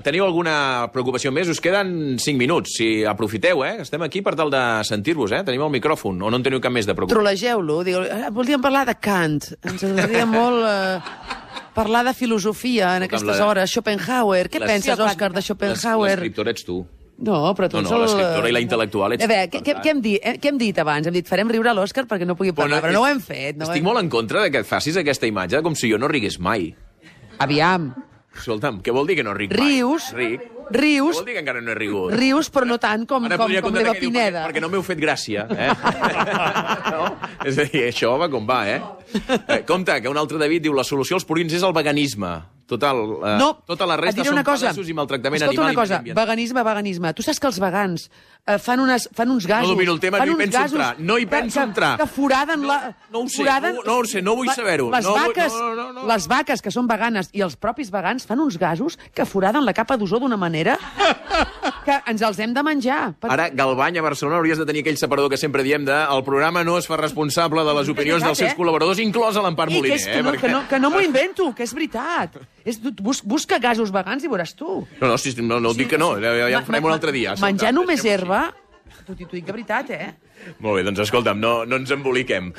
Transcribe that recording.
Teniu alguna preocupació més? Us queden 5 minuts. Si aprofiteu, estem aquí per tal de sentir-vos, Tenim el micròfon, o no en teniu cap més de preocupació? Trollegeu-lo. Voldríem parlar de Kant. Ens agradaria molt parlar de filosofia en aquestes hores. Schopenhauer. Què penses, Òscar, de Schopenhauer? L'escriptor ets tu. No, però tu ets l'escriptora i la intel·lectual ets... A veure, què hem dit abans? Hem dit, farem riure l'Òscar perquè no pugui parlar, però no ho hem fet. Estic molt en contra que et facis aquesta imatge com si jo no rigués mai. Aviam. Escolta'm, què vol dir que no ric mai? Rius. Què vol dir que encara no he rigut? Rius, però no tant com l'Eva Pineda. Perquè no m'heu fet gràcia, És a dir, això va com va, Compte, que un altre David diu la solució als purins és el veganisme. Tota la resta són pedaços i maltractament animal i mediambiental. Veganisme. Tu saps que els vegans fan uns gasos... No domino el tema, no hi penso entrar. Que foraden la... No ho sé, no vull saber-ho. Les vaques que són veganes i els propis vegans fan uns gasos que foraden la capa d'ozó d'una manera que ens els hem de menjar. Ara, Galvany, a Barcelona, hauries de tenir aquell separador que sempre diem el programa no es fa responsable de les opinions dels seus col·laboradors, inclòs l'Empar Moliner. Que no m'ho invento, que és veritat. Busca gasos vegans i veuràs tu. No dic que no, ja en farem un altre dia. Menjar només herba, t'ho dic de veritat, Molt bé, doncs escolta'm, no ens emboliquem.